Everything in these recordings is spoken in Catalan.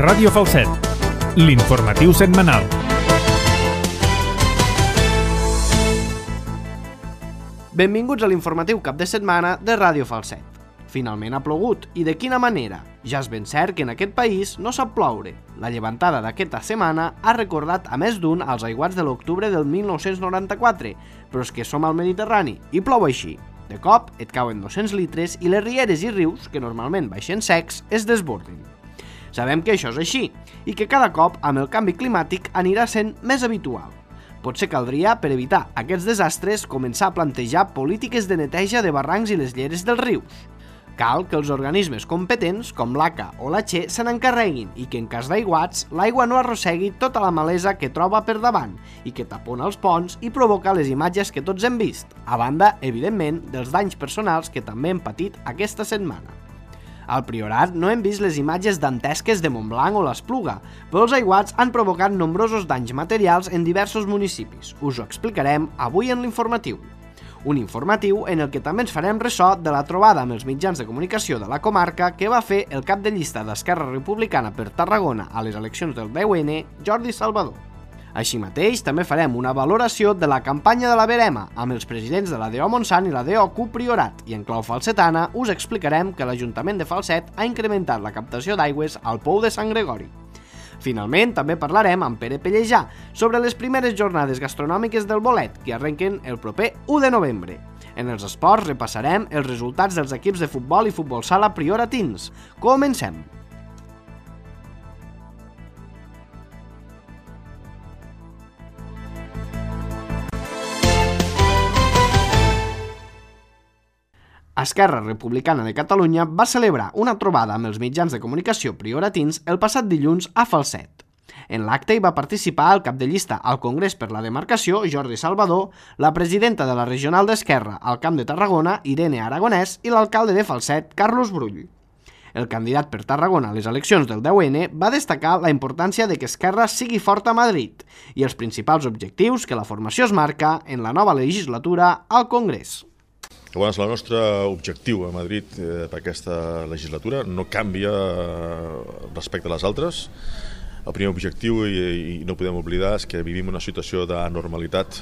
Ràdio Falset, l'informatiu setmanal. Benvinguts a l'informatiu cap de setmana de Ràdio Falset. Finalment ha plogut, i de quina manera? Ja és ben cert que en aquest país no sap ploure. La llevantada d'aquesta setmana ha recordat a més d'un als aiguats de l'octubre del 1994, però és que som al Mediterrani i plou així. De cop et cauen 200 litres i les rieres i rius, que normalment baixen secs, es desborden. Sabem que això és així, i que cada cop amb el canvi climàtic anirà sent més habitual. Potser caldria, per evitar aquests desastres, començar a plantejar polítiques de neteja de barrancs i les lleres dels rius. Cal que els organismes competents, com l'ACA o la Che, se n'encarreguin i que en cas d'aiguats, l'aigua no arrossegui tota la malesa que troba per davant i que tapona els ponts i provoca les imatges que tots hem vist, a banda, evidentment, dels danys personals que també hem patit aquesta setmana. Al Priorat no hem vist les imatges dantesques de Montblanc o l'Espluga, però els aiguats han provocat nombrosos danys materials en diversos municipis. Us ho explicarem avui en l'informatiu. Un informatiu en el que també ens farem ressò de la trobada amb els mitjans de comunicació de la comarca que va fer el cap de llista d'Esquerra Republicana per Tarragona a les eleccions del 10N, Jordi Salvador. Així mateix, també farem una valoració de la campanya de la Verema amb els presidents de la DO Montsant i la DO Priorat i en clau falsetana us explicarem que l'Ajuntament de Falset ha incrementat la captació d'aigües al pou de Sant Gregori. Finalment, també parlarem amb Pere Pellejà sobre les primeres jornades gastronòmiques del bolet, que arrenquen el proper 1 de novembre. En els esports repassarem els resultats dels equips de futbol i futbol sala prioratins. Comencem! Esquerra Republicana de Catalunya va celebrar una trobada amb els mitjans de comunicació prioratins el passat dilluns a Falset. En l'acte hi va participar el cap de llista al Congrés per la Demarcació, Jordi Salvador, la presidenta de la Regional d'Esquerra al Camp de Tarragona, Irene Aragonès, i l'alcalde de Falset, Carlos Brull. El candidat per Tarragona a les eleccions del 10N va destacar la importància de que Esquerra sigui forta a Madrid i els principals objectius que la formació es marca en la nova legislatura al Congrés. Llavors, el nostre objectiu a Madrid per aquesta legislatura no canvia respecte a les altres. El primer objectiu, i no podem oblidar, és que vivim una situació d'anormalitat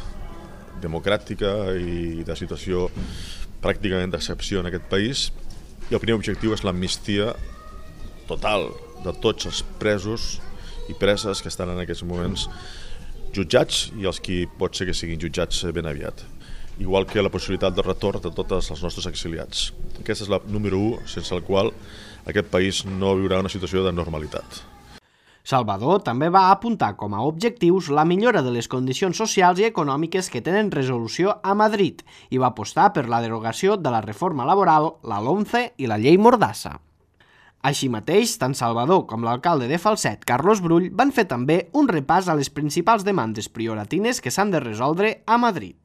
democràtica i de situació pràcticament d'excepció en aquest país. I el primer objectiu és l'amnistia total de tots els presos i preses que estan en aquests moments jutjats i els que pot ser que siguin jutjats ben aviat. Igual que la possibilitat de retorn de tots els nostres exiliats. Aquesta és la número 1, sense el qual aquest país no viurà una situació de normalitat. Salvador també va apuntar com a objectius la millora de les condicions socials i econòmiques que tenen resolució a Madrid i va apostar per la derogació de la reforma laboral, la LOMCE i la llei Mordassa. Així mateix, tant Salvador com l'alcalde de Falset, Carlos Brull, van fer també un repàs a les principals demandes prioratines que s'han de resoldre a Madrid.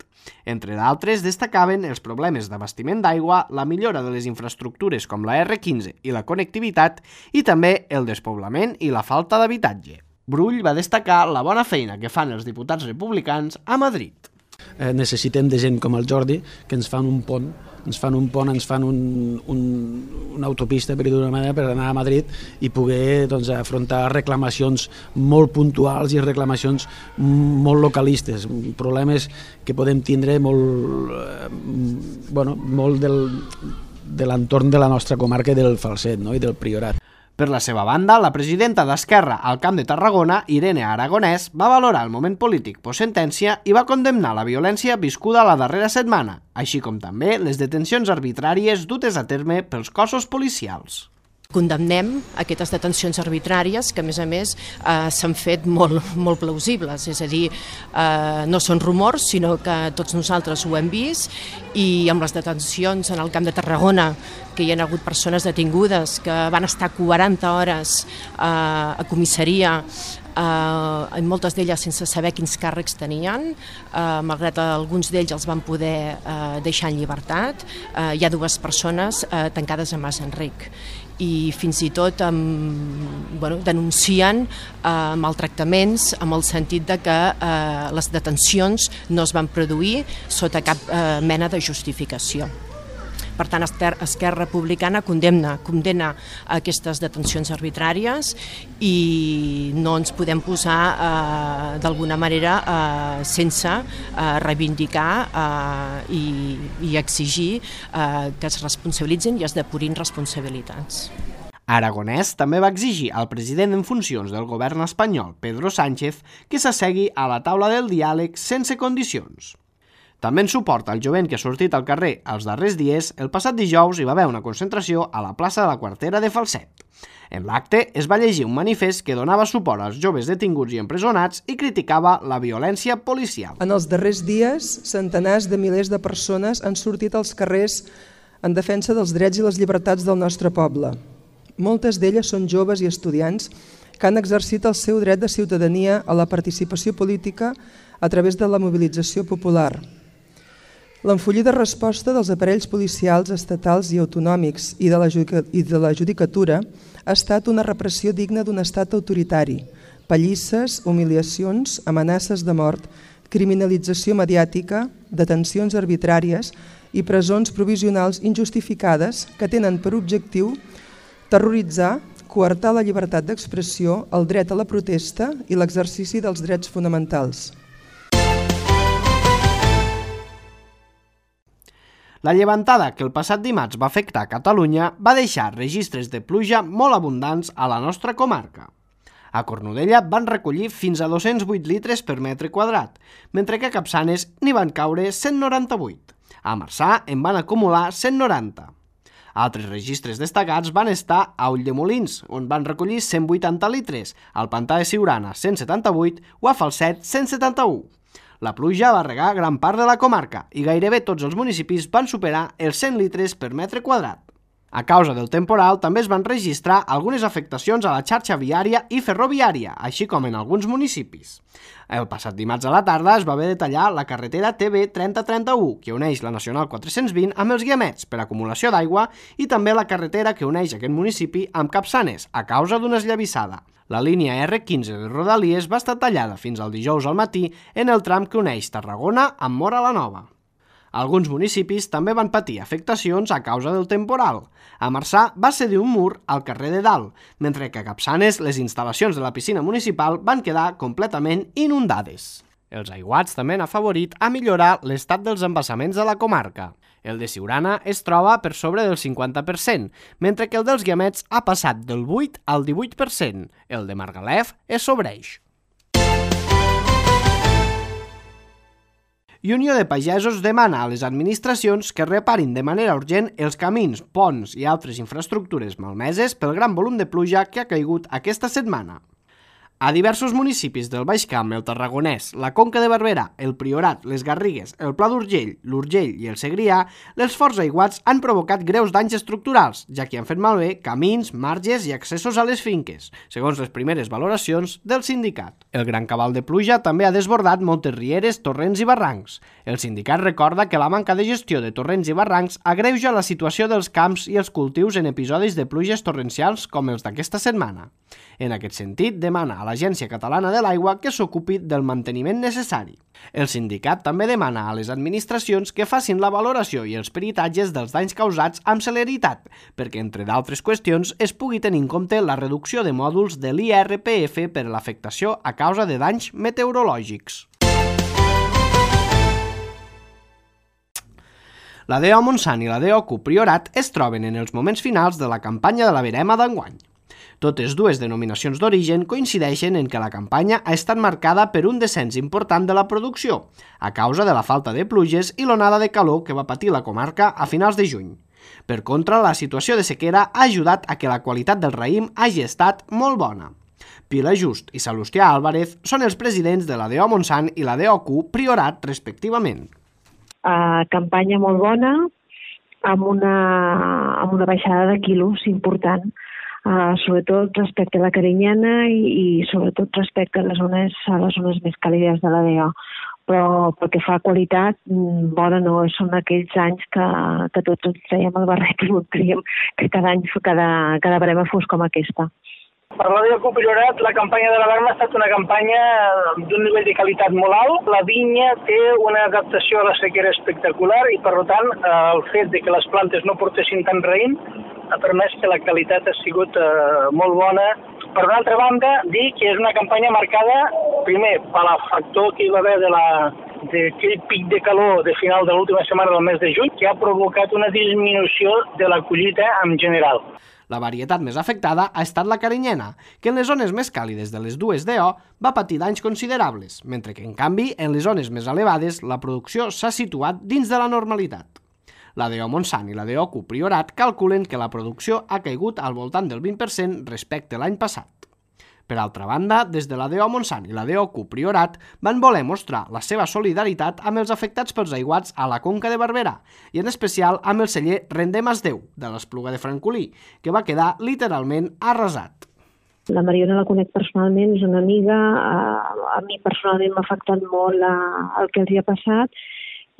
Entre d'altres, destacaven els problemes d'abastiment d'aigua, la millora de les infraestructures com la R15 i la connectivitat i també el despoblament i la falta d'habitatge. Brull va destacar la bona feina que fan els diputats republicans a Madrid. Necessitem de gent com el Jordi que ens fan un pont, ens fan una autopista, per dir-ho d'una manera, per anar a Madrid i poder afrontar reclamacions molt puntuals i reclamacions molt localistes, problemes que podem tindre molt de l'entorn de la nostra comarca del Falset i del Priorat. Per la seva banda, la presidenta d'Esquerra al Camp de Tarragona, Irene Aragonès, va valorar el moment polític post-sentència i va condemnar la violència viscuda la darrera setmana, així com també les detencions arbitràries dutes a terme pels cossos policials. Condemnem aquestes detencions arbitràries que, a més, s'han fet molt plausibles, és a dir, no són rumors, sinó que tots nosaltres ho hem vist, i amb les detencions en el Camp de Tarragona, que hi ha hagut persones detingudes que van estar 40 hores a comissaria, moltes d'elles sense saber quins càrrecs tenien, malgrat alguns d'ells els van poder deixar en llibertat. Hi ha 2 persones tancades a Mas Enric i fins i tot denuncien maltractaments amb el sentit de que les detencions no es van produir sota cap mena de justificació. Per tant, Esquerra Republicana condemna aquestes detencions arbitràries i no ens podem posar d'alguna manera sense reivindicar i exigir que es responsabilitzin i es depurin responsabilitats. Aragonès també va exigir al president en funcions del govern espanyol, Pedro Sánchez, que s'assegui a la taula del diàleg sense condicions. També en suport al jovent que ha sortit al carrer els darrers dies, el passat dijous hi va haver una concentració a la plaça de la Quartera de Falset. En l'acte es va llegir un manifest que donava suport als joves detinguts i empresonats i criticava la violència policial. En els darrers dies, centenars de milers de persones han sortit als carrers en defensa dels drets i les llibertats del nostre poble. Moltes d'elles són joves i estudiants que han exercit el seu dret de ciutadania a la participació política a través de la mobilització popular. L'enfollida resposta dels aparells policials estatals i autonòmics i de la judicatura ha estat una repressió digna d'un estat autoritari, pallisses, humiliacions, amenaces de mort, criminalització mediàtica, detencions arbitràries i presons provisionals injustificades que tenen per objectiu terroritzar, coartar la llibertat d'expressió, el dret a la protesta i l'exercici dels drets fonamentals. La llevantada que el passat dimarts va afectar Catalunya va deixar registres de pluja molt abundants a la nostra comarca. A Cornudella van recollir fins a 208 litres per metre quadrat, mentre que a Capçanes n'hi van caure 198. A Marçà en van acumular 190. Altres registres destacats van estar a Ulldemolins, on van recollir 180 litres, al Pantà de Siurana 178 o a Falset 171. La pluja va regar gran part de la comarca i gairebé tots els municipis van superar els 100 litres per metre quadrat. A causa del temporal també es van registrar algunes afectacions a la xarxa viària i ferroviària, així com en alguns municipis. El passat dimarts a la tarda es va haver de tallar la carretera TB 3031, que uneix la Nacional 420 amb els Guiamets per acumulació d'aigua, i també la carretera que uneix aquest municipi amb Capçanes, a causa d'una esllavissada. La línia R15 de Rodalies va estar tallada fins al dijous al matí en el tram que uneix Tarragona amb Móra la Nova. Alguns municipis també van patir afectacions a causa del temporal. A Marçà va cedir un mur al carrer de Dalt, mentre que a Capçanes les instal·lacions de la piscina municipal van quedar completament inundades. Els aiguats també han afavorit a millorar l'estat dels embassaments de la comarca. El de Siurana es troba per sobre del 50%, mentre que el dels Guiamets ha passat del 8 al 18%. El de Margalef es sobreix. I Unió de Pagesos demana a les administracions que reparin de manera urgent els camins, ponts i altres infraestructures malmeses pel gran volum de pluja que ha caigut aquesta setmana. A diversos municipis del Baix Camp, el Tarragonès, la Conca de Barberà, el Priorat, les Garrigues, el Pla d'Urgell, l'Urgell i el Segrià, els forts aiguats han provocat greus danys estructurals, ja que han fet malbé camins, marges i accessos a les finques, segons les primeres valoracions del sindicat. El gran cabal de pluja també ha desbordat moltes rieres, torrents i barrancs. El sindicat recorda que la manca de gestió de torrents i barrancs agreuja la situació dels camps i els cultius en episodis de pluges torrencials com els d'aquesta setmana. En aquest sentit, demana a l'Agència Catalana de l'Aigua que s'ocupi del manteniment necessari. El sindicat també demana a les administracions que facin la valoració i els peritatges dels danys causats amb celeritat, perquè, entre d'altres qüestions, es pugui tenir en compte la reducció de mòduls de l'IRPF per a l'afectació a causa de danys meteorològics. La DO Montsant i la DO Priorat es troben en els moments finals de la campanya de la verema d'enguany. Totes dues denominacions d'origen coincideixen en que la campanya ha estat marcada per un descens important de la producció, a causa de la falta de pluges i l'onada de calor que va patir la comarca a finals de juny. Per contra, la situació de sequera ha ajudat a que la qualitat del raïm hagi estat molt bona. Pilar Just i Salustià Álvarez són els presidents de la DO Montsant i la DO Priorat, respectivament. Campanya molt bona, amb una baixada de quilos important, sobretot respecte a la carinyana i sobretot respecte a les zones més càlides de la DO. Però pel que fa a qualitat, bona no, són aquells anys que tots ens traiem el barret i voldríem que cada any cada verema fos com aquesta. Per la DEOCU Priorat, la campanya de l'alarma ha estat una campanya d'un nivell de qualitat molt alt. La vinya té una adaptació a la sequera espectacular i, per tant, el fet de que les plantes no portessin tant raïm ha permès que la qualitat ha sigut molt bona. Per una altra banda, dir que és una campanya marcada, primer, per el factor que hi va haver d'aquell pic de calor de final de l'última setmana del mes de juny, que ha provocat una disminució de la collita en general. La varietat més afectada ha estat la carinyena, que en les zones més càlides de les dues DO va patir danys considerables, mentre que, en canvi, en les zones més elevades la producció s'ha situat dins de la normalitat. La DO Montsant i la DOCU Priorat calculen que la producció ha caigut al voltant del 20% respecte a l'any passat. Per altra banda, des de la DO Montsant i la DOCU Priorat van voler mostrar la seva solidaritat amb els afectats pels aiguats a la Conca de Barberà i en especial amb el celler Rendem es Déu, de l'Espluga de Francolí, que va quedar literalment arrasat. La Mariona la conec personalment, és una amiga, a mi personalment m'ha afectat molt el que els hi ha passat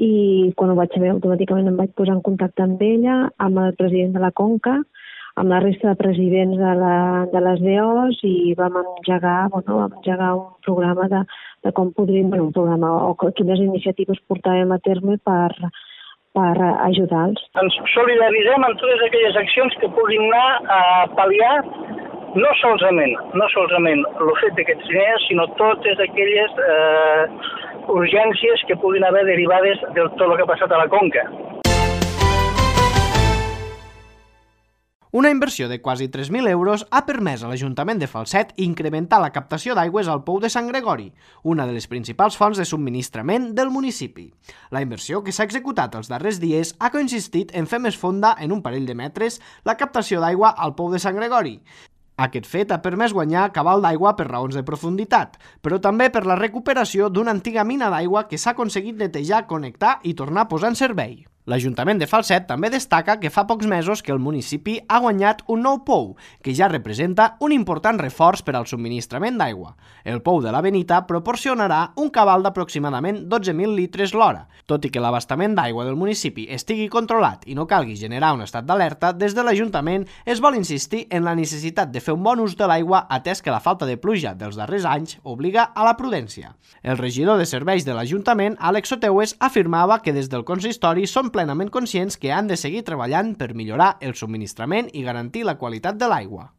i quan ho vaig saber automàticament em vaig posar en contacte amb ella, amb el president de la Conca, amb la resta de presidents de les DOs i vam engegar un programa de com podríem, un programa o quines iniciatives portàvem a terme per ajudar-los. Ens solidaritzem amb totes aquelles accions que puguin anar a pal·liar no solament el fet d'aquests diners, sinó totes aquelles urgències que puguin haver derivades de tot el que ha passat a la Conca. Una inversió de quasi 3.000 euros ha permès a l'Ajuntament de Falset incrementar la captació d'aigües al Pou de Sant Gregori, una de les principals fonts de subministrament del municipi. La inversió que s'ha executat els darrers dies ha consistit en fer més fonda en un parell de metres la captació d'aigua al Pou de Sant Gregori. Aquest fet ha permès guanyar cabal d'aigua per raons de profunditat, però també per la recuperació d'una antiga mina d'aigua que s'ha aconseguit netejar, connectar i tornar a posar en servei. L'Ajuntament de Falset també destaca que fa pocs mesos que el municipi ha guanyat un nou pou, que ja representa un important reforç per al subministrament d'aigua. El pou de la Benita proporcionarà un cabal d'aproximadament 12.000 litres l'hora. Tot i que l'abastament d'aigua del municipi estigui controlat i no calgui generar un estat d'alerta, des de l'Ajuntament es vol insistir en la necessitat de fer un bon ús de l'aigua atès que la falta de pluja dels darrers anys obliga a la prudència. El regidor de serveis de l'Ajuntament, Àlex Soteues, afirmava que des del consistori són plenament conscients que han de seguir treballant per millorar el subministrament i garantir la qualitat de l'aigua.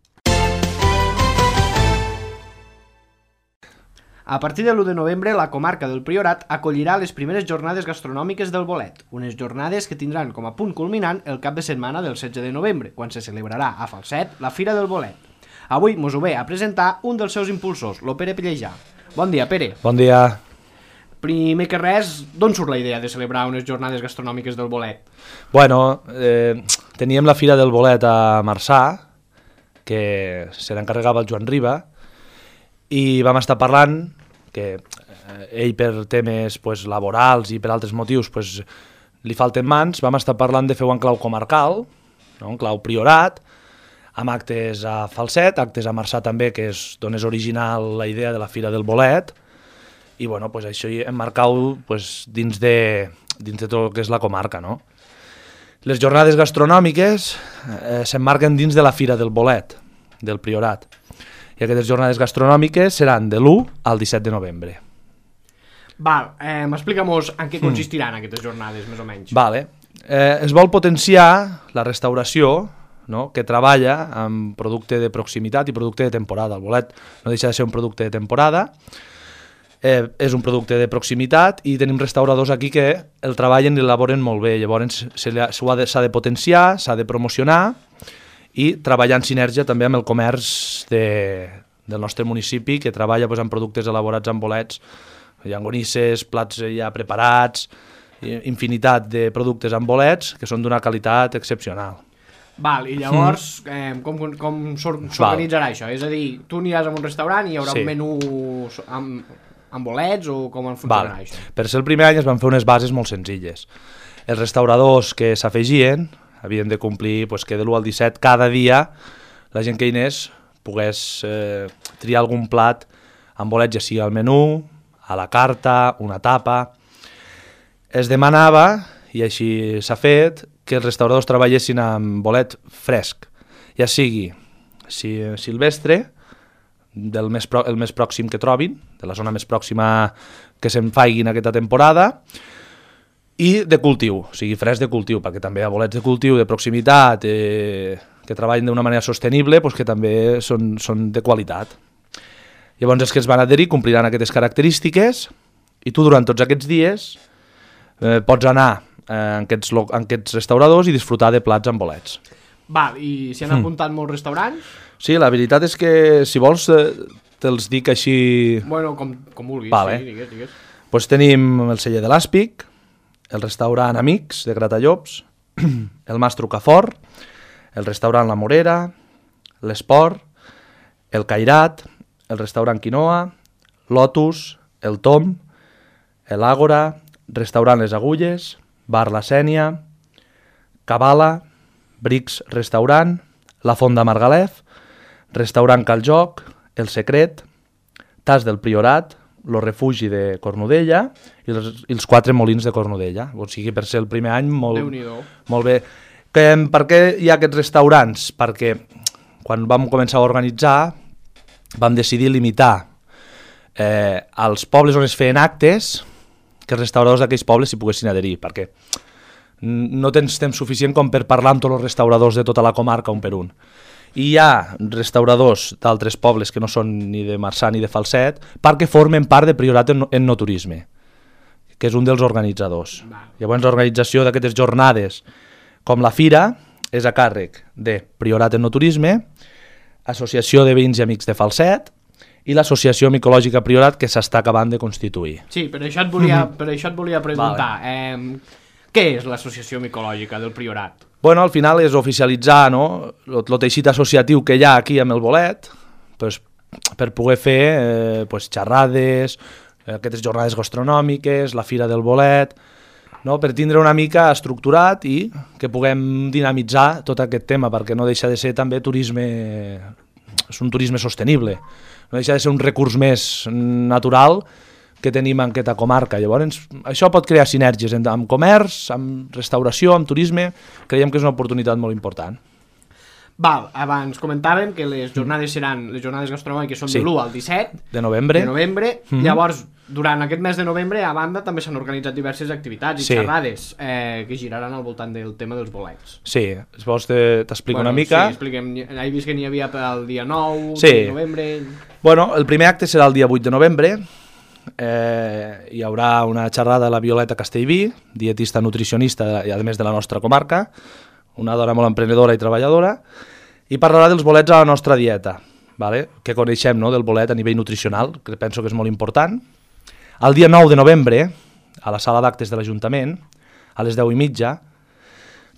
A partir de l'1 de novembre, la comarca del Priorat acollirà les primeres jornades gastronòmiques del bolet, unes jornades que tindran com a punt culminant el cap de setmana del 16 de novembre, quan se celebrarà a Falset la Fira del Bolet. Avui mos ho ve a presentar un dels seus impulsors, lo Pere Pellejà. Bon dia, Pere. Bon dia. Primer que res, d'on surt la idea de celebrar unes jornades gastronòmiques del bolet? Bueno, teníem la Fira del Bolet a Marçà, que se n'encarregava el Joan Riba, i vam estar parlant que ell per temes laborals i per altres motius li falten mans, vam estar parlant de fer-ho en clau comarcal, en clau priorat, amb actes a Falset, actes a Marçà també, que és d'on és original la idea de la Fira del Bolet, i bueno, això emmarcau dins de tot el que és la comarca, no? Les jornades gastronòmiques s'emmarquen dins de la Fira del Bolet, del Priorat, i aquestes jornades gastronòmiques seran de l'1 al 17 de novembre. Val, explica-mos en què consistiran aquestes jornades, més o menys. Vale. Es vol potenciar la restauració, no?, que treballa amb producte de proximitat i producte de temporada. El bolet no deixa de ser un producte de temporada, és un producte de proximitat i tenim restauradors aquí que el treballen i l'elaboren molt bé. Llavors s'ha de potenciar, s'ha de promocionar i treballar en sinergia també amb el comerç del nostre municipi, que treballa amb productes elaborats amb bolets, llangonisses, plats ja preparats, infinitat de productes amb bolets que són d'una qualitat excepcional. Val, i llavors com s'organitzarà això? És a dir, tu aniràs a un restaurant i hi haurà un menú amb bolets o com funcionarà això? Per ser el primer any es van fer unes bases molt senzilles. Els restauradors que s'afegien havien de complir que de l'1 al 17 cada dia la gent que hi anés pogués triar algun plat amb bolets, ja sigui al menú, a la carta, una tapa. Es demanava, i així s'ha fet, que els restauradors treballessin amb bolet fresc, ja sigui silvestre el més pròxim que trobin, de la zona més pròxima que se'n faiguin aquesta temporada, i de cultiu, o sigui, fresc de cultiu, perquè també hi ha bolets de cultiu de proximitat que treballen d'una manera sostenible, doncs que també són de qualitat. Llavors els que es van adherir compliran aquestes característiques i tu durant tots aquests dies pots anar en aquests restauradors i disfrutar de plats amb bolets. Val, i s'hi han apuntat molts restaurants? Sí, la veritat és que si vols te'ls dic així... Bueno, com vulguis, vale. Sí, digues. Pues tenim el celler de l'Àspic, el restaurant Amics de Gratallops, el Mas Trucafort, el restaurant La Morera, l'Esport, el Cairat, el restaurant Quinoa, Lotus, el Tom, l'Àgora, restaurant Les Agulles, bar La Sènia, Cabala, Brics Restaurant, la Font de Margalef, restaurant Caljoc, el Secret, Tas del Priorat, lo Refugi de Cornudella i els 4 molins de Cornudella. O sigui, per ser el primer any, molt bé. Per què hi ha aquests restaurants? Perquè quan vam començar a organitzar vam decidir limitar als pobles on es feien actes que els restauradors d'aquells pobles s'hi poguessin adherir, perquè no tens temps suficient com per parlar amb tots els restauradors de tota la comarca un per un. I hi ha restauradors d'altres pobles que no són ni de Marçà ni de Falset perquè formen part de Priorat en No Turisme, que és un dels organitzadors. Llavors l'organització d'aquestes jornades com la Fira és a càrrec de Priorat en No Turisme, Associació de Veïns i Amics de Falset i l'Associació Micològica Priorat, que s'està acabant de constituir. Sí, per això et volia preguntar. Vale. Què és l'Associació Micològica del Priorat? Bueno, al final és oficialitzar el teixit associatiu que hi ha aquí amb el bolet per poder fer xerrades, aquestes jornades gastronòmiques, la Fira del Bolet, per tindre una mica estructurat i que puguem dinamitzar tot aquest tema, perquè no deixa de ser també turisme, és un turisme sostenible, no deixa de ser un recurs més natural que tenim en aquesta comarca. Llavors, això pot crear sinergies amb comerç, amb restauració, amb turisme. Creiem que és una oportunitat molt important. Val, abans comentàvem que les jornades seran, les jornades gastronòmiques són de l'1 al 17 de novembre. Llavors, durant aquest mes de novembre, a banda, també s'han organitzat diverses activitats i xerrades que giraran al voltant del tema dels bolets. Sí, si vols t'explico una mica. Sí, expliquem. He vist que n'hi havia el dia 9 de novembre. Bueno, el primer acte serà el dia 8 de novembre. Hi haurà una xerrada a la Violeta Castellví, dietista nutricionista i a més de la nostra comarca, una dona molt emprenedora i treballadora, i parlarà dels bolets a la nostra dieta, que coneixem del bolet a nivell nutricional, que penso que és molt important. El dia 9 de novembre, a la sala d'actes de l'Ajuntament, a les 10:30,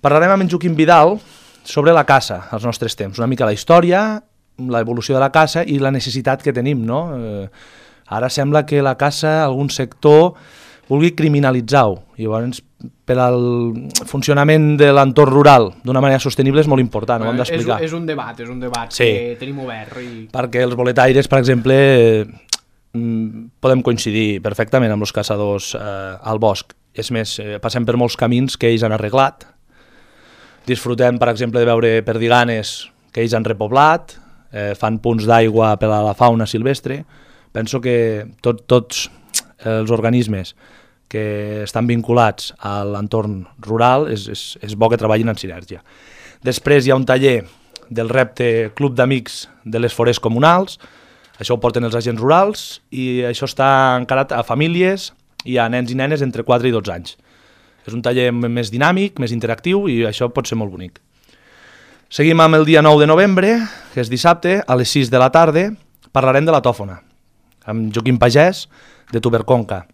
parlarem amb en Joaquim Vidal sobre la caça als nostres temps, una mica la història, l'evolució de la caça i la necessitat que tenim, Ara sembla que la caça, algun sector, vulgui criminalitzar-ho. Llavors, per al funcionament de l'entorn rural d'una manera sostenible és molt important, ho hem d'explicar. És un debat que tenim obert. Perquè els boletaires, per exemple, podem coincidir perfectament amb els caçadors al bosc. És més, passem per molts camins que ells han arreglat. Disfrutem, per exemple, de veure perdiganes que ells han repoblat, fan punts d'aigua per a la fauna silvestre. Penso que tots els organismes que estan vinculats a l'entorn rural és bo que treballin en sinergia. Després hi ha un taller del repte Club d'Amics de les Forests Comunals, això ho porten els agents rurals i això està encarat a famílies i a nens i nenes entre 4 i 12 anys. És un taller més dinàmic, més interactiu i això pot ser molt bonic. Seguim amb el dia 9 de novembre, que és dissabte, a les 6 de la tarda, parlarem de la tòfona, amb Joaquim Pagès, de Tuberconca.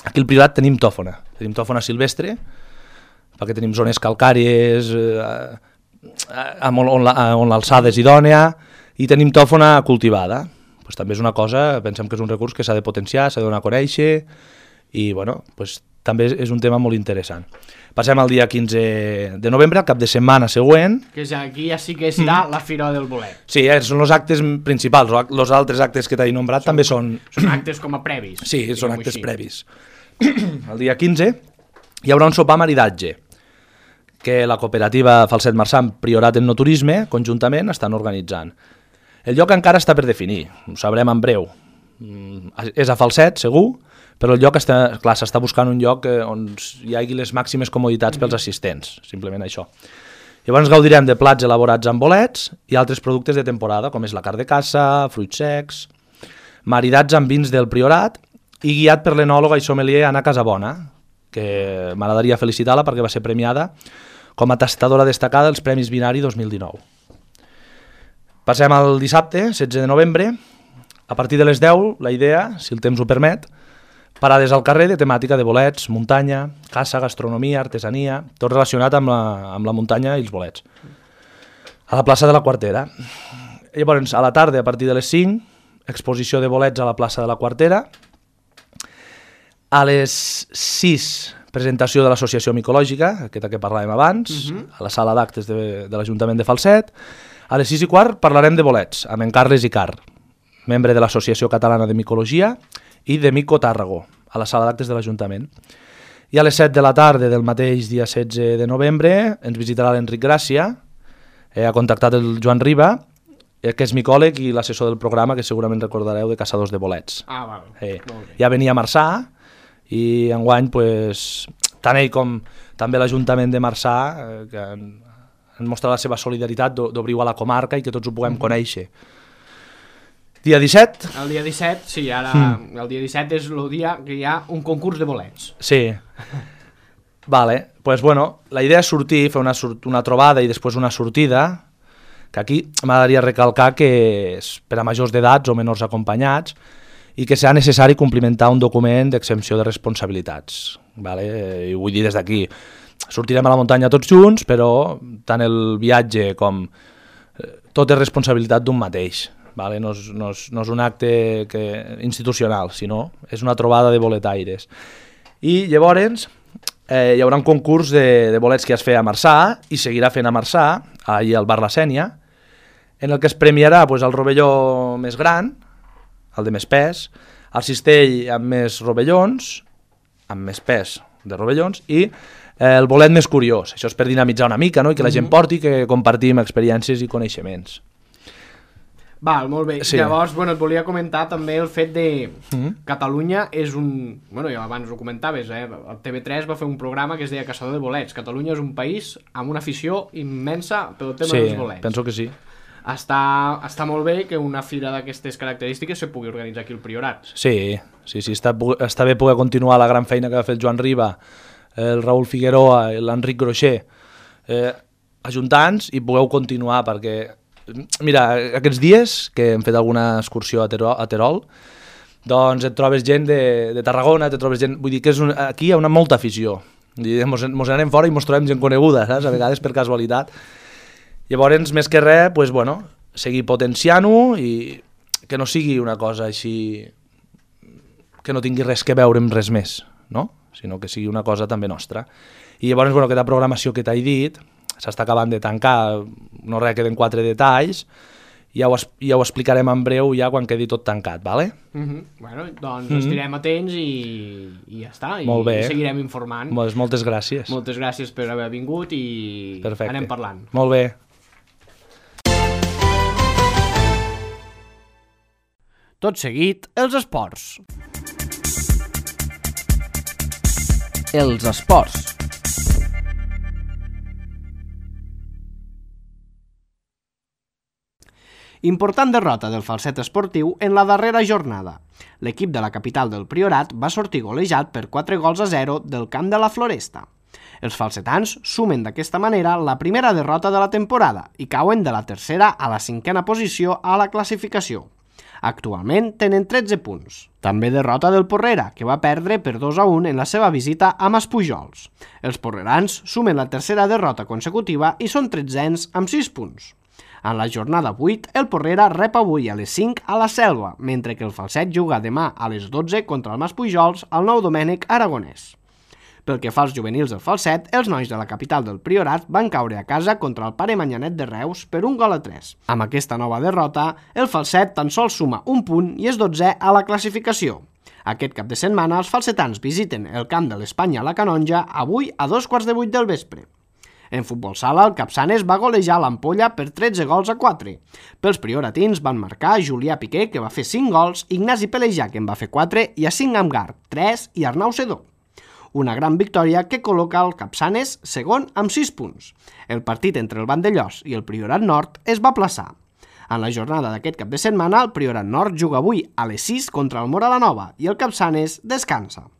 Aquí al Priorat tenim tòfona silvestre, perquè tenim zones calcàries, on l'alçada és idònea, i tenim tòfona cultivada. També és una cosa, pensem que és un recurs que s'ha de potenciar, s'ha de donar a conèixer, i també és un tema molt interessant. Passem al dia 15 de novembre, al cap de setmana següent. Que aquí ja sí que serà la Fira del Bolet. Sí, són els actes principals. Els altres actes que t'he nombrat també són... Són actes com a previs. Sí, són actes previs. El dia 15 hi haurà un sopar maridatge que la cooperativa Falset Marçà, Priorat en No Turisme, conjuntament estan organitzant. El lloc encara està per definir, ho sabrem en breu. És a Falset, segur, però el lloc s'està buscant un lloc on hi hagi les màximes comoditats pels assistents, simplement això. Llavors gaudirem de plats elaborats amb bolets i altres productes de temporada, com és la carn de caça, fruits secs, maridats amb vins del Priorat i guiat per l'enòloga i sommelier Anna Casabona, que m'agradaria felicitar-la perquè va ser premiada com a tastadora destacada dels Premis Binari 2019. Passem al dissabte, 16 de novembre. A partir de les 10, la idea, si el temps ho permet, parades al carrer de temàtica de bolets, muntanya, caça, gastronomia, artesania, tot relacionat amb la muntanya i els bolets. A la plaça de la Quartera. Llavors, a la tarda, a partir de les 5, exposició de bolets a la plaça de la Quartera. A les 6, presentació de l'Associació Micològica, aquesta que parlàvem abans, a la sala d'actes de l'Ajuntament de Falset. A les 6:15 parlarem de bolets, amb en Carles Icart, membre de l'Associació Catalana de Micologia i de Mico Tàrrago, a la sala d'actes de l'Ajuntament. I a les 7 de la tarda del mateix dia 16 de novembre ens visitarà l'Enric Gràcia, ha contactat el Joan Riba, que és micòleg i l'assessor del programa, que segurament recordareu, de Caçadors de Bolets. Ah, val. Ja venia a Marçà i enguany, pues, tant ell com també l'Ajuntament de Marçà, que han mostrat la seva solidaritat d'obrir-ho a la comarca i que tots ho puguem conèixer. Dia 17? El dia 17, sí, ara el dia 17 és el dia que hi ha un concurs de bolets. Sí. Vale, pues bueno, la idea és sortir, fer una trobada i després una sortida, que aquí m'agradaria recalcar que és per a majors d'edats o menors acompanyats i que serà necessari complimentar un document d'exempció de responsabilitats. Vale? I ho vull dir des d'aquí. Sortirem a la muntanya tots junts, però tant el viatge com tot és responsabilitat d'un mateix. Vale? No és un acte institucional, sinó és una trobada de boletaires. I llavors hi haurà un concurs de bolets que es feia a Marçà i seguirà fent a Marçà, allà al bar La Sènia, en el que es premiarà el rovelló més gran, el de més pes, el cistell amb més rovellons, amb més pes de rovellons, i el bolet més curiós. Això és per dinamitzar una mica, no? I que la gent porti, que compartim experiències i coneixements. Val, molt bé. Sí. Llavors, bueno, et volia comentar també el fet de Catalunya és un... Bueno, ja abans ho comentaves, el TV3 va fer un programa que es deia Caçador de Bolets. Catalunya és un país amb una afició immensa pel tema dels bolets. Sí, penso que sí. Està molt bé que una fira d'aquestes característiques se pugui organitzar aquí al Priorat. Sí, està bé poder continuar la gran feina que va fer el Joan Riba, el Raül Figueroa i l'Enric Groixer, ajuntant-nos i pugueu continuar, perquè mira, aquests dies que hem fet alguna excursió a Terol, doncs et trobes gent de Tarragona, vull dir que aquí hi ha molta afició. Mos anem fora i mos trobem gent coneguda, saps? A vegades per casualitat. Llavors, més que res, pues, bueno, seguir potenciant-ho i que no sigui una cosa així que no tingui res que veure amb res més, no? Sinó que sigui una cosa també nostra. I llavors, bueno, aquesta programació que t'he dit s'està acabant de tancar, no res, queden 4 detalls, ja ho explicarem en breu ja quan quedi tot tancat, vale? Bueno, doncs estirem atents i ja està, i seguirem informant. Moltes gràcies. Moltes gràcies per haver vingut i anem parlant. Molt bé. Tot seguit, els esports. Els esports. Important derrota del Falset esportiu en la darrera jornada. L'equip de la capital del Priorat va sortir golejat per 4-0 del camp de la Floresta. Els falsetans sumen d'aquesta manera la primera derrota de la temporada i cauen de la tercera a la 5a posició a la classificació. Actualment tenen 13 punts. També derrota del Porrera, que va perdre per 2-1 en la seva visita a Maspujols. Els porrerans sumen la tercera derrota consecutiva i són 13ens amb 6 punts. En la jornada 8, el Porrera rep avui a les 5 a la Selva, mentre que el Falset juga demà a les 12 contra el Maspujols al Nou Domènec Aragonès. Pel que fa als juvenils del Falset, els nois de la capital del Priorat van caure a casa contra el Pare Manyanet de Reus per 1-3. Amb aquesta nova derrota, el Falset tan sols suma un punt i és 12è a la classificació. Aquest cap de setmana, els falsetans visiten el camp de l'Espanya a la Canonja avui a 2:15 del vespre. En futbol sala, el Capçanes va golejar l'Ampolla per 13-4. Pels prioratins van marcar Julià Piqué, que va fer 5 gols, Ignasi Pelejà, que en va fer 4, i Yacine Amgar, 3, i Arnau Sedó. Una gran victòria que col·loca el Capçanes segon amb 6 punts. El partit entre el Vandellòs i el Priorat Nord es va aplaçar. En la jornada d'aquest cap de setmana, el Priorat Nord juga avui a les 6 contra el Móra la Nova i el Capçanes descansa.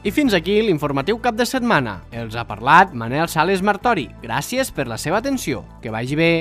I fins aquí l'informatiu cap de setmana. Els ha parlat Manel Sales Martori. Gràcies per la seva atenció. Que vagi bé.